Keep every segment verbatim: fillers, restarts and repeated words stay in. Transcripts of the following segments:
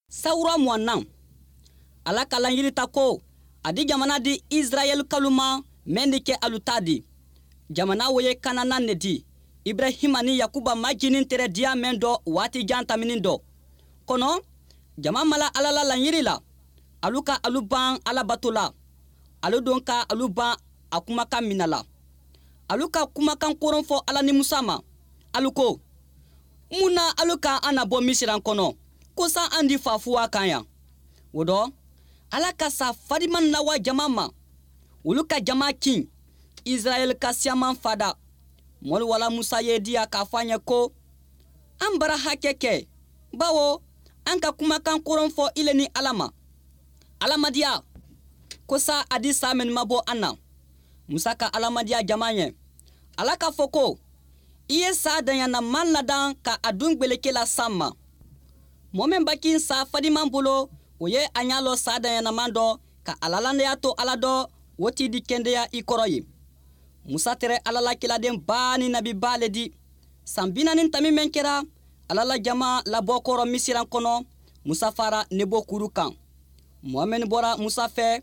Sawura muwannaŋ. Alla ka laɲiri ta ko a di jamana di isirayeli kalu ma, meŋ di ke alu taa di. Jamana wo ye kanana ne di iburahima niŋ yakuba majinintere diya meŋ do waati jaŋ taminiŋ do. Kono jama mala alla la laɲiri la. Alu ka alu baŋ alla bato la. Alu duŋ ka alu baŋ a kumakaŋ mina la. Alu ka kumakaŋ koroŋ fo alla ni musa ma. Alu ko, muŋ na alu ka an na bo misiraŋ kono ko sa an di faafuwaa kaŋ yaŋ? Wo do alla ka saa fadimaŋ nawa jama ma. Wolu ka jama kiŋ isirayeli ka siyamaŋ fada. Moolu wala musa ye diya ka a fo a ɲe ko, an bara hake ke bawo an ka kumakaŋ koroŋ fo i le ni alla ma. Alla ma diya ko saa a di saa mennu ma bo an na. Musa ka alla ma diya jama ɲe. Alla ka fo ko, i ye saa daɲana maŋ ladaŋ ka a duŋ gbeleke la saŋ ma. Moo meŋ bakiŋ saa fadimaŋ bulu wo ye a ɲaa loo saa daɲana maŋ do ka a lalandeya to alla do. Wo ti di kendeya i koro ye. Musa tere alla la kiladeŋ baa niŋ nabi baa le di. Saŋ bi naaniŋ tambi meŋ kera alla la jama la bookooro misiraŋ kono, musa faara nebo kuuru kaŋ. Moo mennu bora musa fee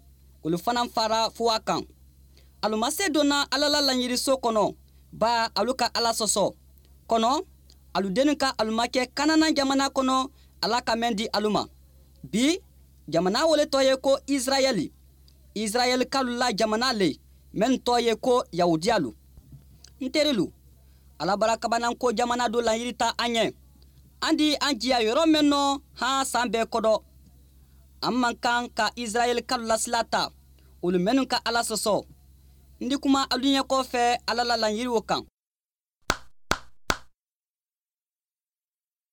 wolu fanaa faara fuwaa kaŋ. Alu ma see donna alla la laɲirisoo kono baa alu ka alla soso. Kono alu dennu ka alu ma ke kanana jamana kono alla ka meŋ di alu ma. Bi jamana wo le too ye ko isirayeli. Isirayeli kalu la jamana le mennu too ye ko yahudiyalu. N terilu, alla bara kabananko jamana do laɲiri ta an ɲe. An di an jiya yoro meŋ no haa san bee kodo. An man kaŋ ka isirayeli kalu la sila ta wolu mennu ka alla soso. N di kuma alu ɲe koo fee alla la laɲiriwo kaŋ.